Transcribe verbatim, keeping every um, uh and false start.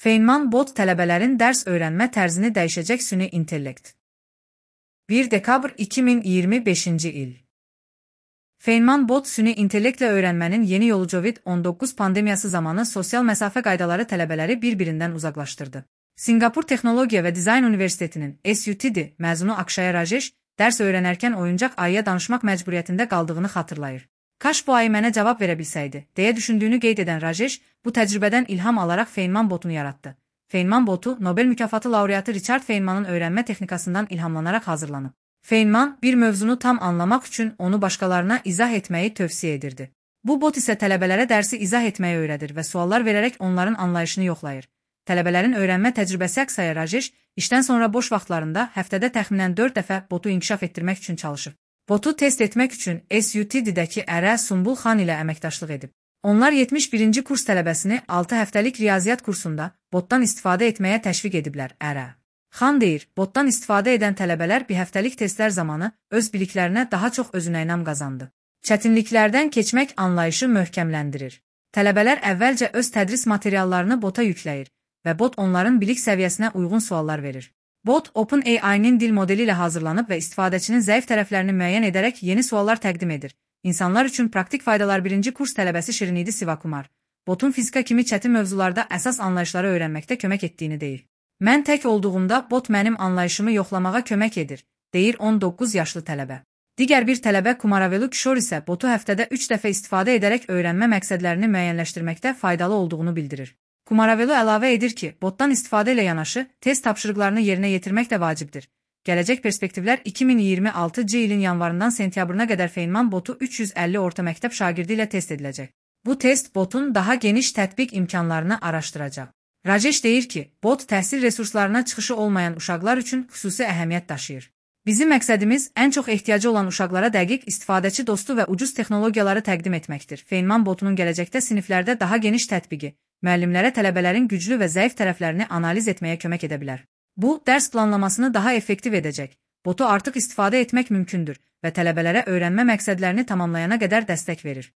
Feynman bot tələbələrin dərs öyrənmə tərzini dəyişəcək süni intellekt. bir dekabr iki min iyirmi beşinci il. Feynman bot süni intellektlə öyrənmənin yeni yolu Covid on doqquz pandemiyası zamanı sosial məsafə qaydaları tələbələri bir-birindən uzaqlaşdırdı. Sinqapur Texnologiya və Dizayn Universitetinin S U T D məzunu Akshaya Rajesh dərs öyrənərkən oyuncaq ayıya danışmaq məcburiyyətində qaldığını xatırlayır. Kaş bu ayı mənə cavab verə bilsəydi, deyə düşündüyünü qeyd edən Rajesh, bu təcrübədən ilham alaraq Feynman botunu yaratdı. Feynman botu Nobel mükafatı laureatı Richard Feynmanın öyrənmə texnikasından ilhamlanaraq hazırlanıb. Feynman bir mövzunu tam anlamaq üçün onu başqalarına izah etməyi tövsiyə edirdi. Bu bot isə tələbələrə dərsi izah etməyi öyrədir və suallar verərək onların anlayışını yoxlayır. Tələbələrin öyrənmə təcrübəsi əksaya Rajesh, işdən sonra boş vaxtlarında həftədə təxminən dörd dəfə botu inkişaf etdirmək üçün çalışıb. Botu test etmək üçün S U T D-dəki ərə Sumbul Xan ilə əməkdaşlıq edib. Onlar yetmiş birinci kurs tələbəsini altı həftəlik riyaziyyat kursunda botdan istifadə etməyə təşviq ediblər. Ərə Xan deyir, botdan istifadə edən tələbələr bir həftəlik testlər zamanı öz biliklərinə daha çox özünəynam qazandı. Çətinliklərdən keçmək anlayışı möhkəmləndirir. Tələbələr əvvəlcə öz tədris materiallarını bota yükləyir və bot onların bilik səviyyəsinə uyğun suallar verir. Bot, OpenAI-nin dil modeli ilə hazırlanıb və istifadəçinin zəif tərəflərini müəyyən edərək yeni suallar təqdim edir. İnsanlar üçün praktik faydalar birinci kurs tələbəsi Şirinidi Sivakumar, botun fizika kimi çətin mövzularda əsas anlayışları öyrənməkdə kömək etdiyini deyir. Mən tək olduğumda bot mənim anlayışımı yoxlamağa kömək edir, deyir on doqquz yaşlı tələbə. Digər bir tələbə Kumaravelu Kishore isə botu həftədə üç dəfə istifadə edərək öyrənmə məqsədlərini müəyyənləşdirməkdə faydalı olduğunu bildirir. Kumaravelu əlavə edir ki, botdan istifadə ilə yanaşı, test tapşırıqlarını yerinə yetirmək də vacibdir. Gələcək perspektivlər iki min iyirmi altıncı ilin yanvarından sentyabrına qədər Feynman botu üç yüz əlli orta məktəb şagirdi ilə test ediləcək. Bu test botun daha geniş tətbiq imkanlarını araşdıracaq. Rajesh deyir ki, bot təhsil resurslarına çıxışı olmayan uşaqlar üçün xüsusi əhəmiyyət daşıyır. Bizim məqsədimiz ən çox ehtiyacı olan uşaqlara dəqiq, istifadəçi dostu və ucuz texnologiyaları təqdim etməkdir. Feynman botunun gələcəkdə siniflərdə daha geniş tətbiqi müəllimlərə tələbələrin güclü və zəif tərəflərini analiz etməyə kömək edə bilər. Bu, dərs planlamasını daha effektiv edəcək. Botu artıq istifadə etmək mümkündür və tələbələrə öyrənmə məqsədlərini tamamlayana qədər dəstək verir.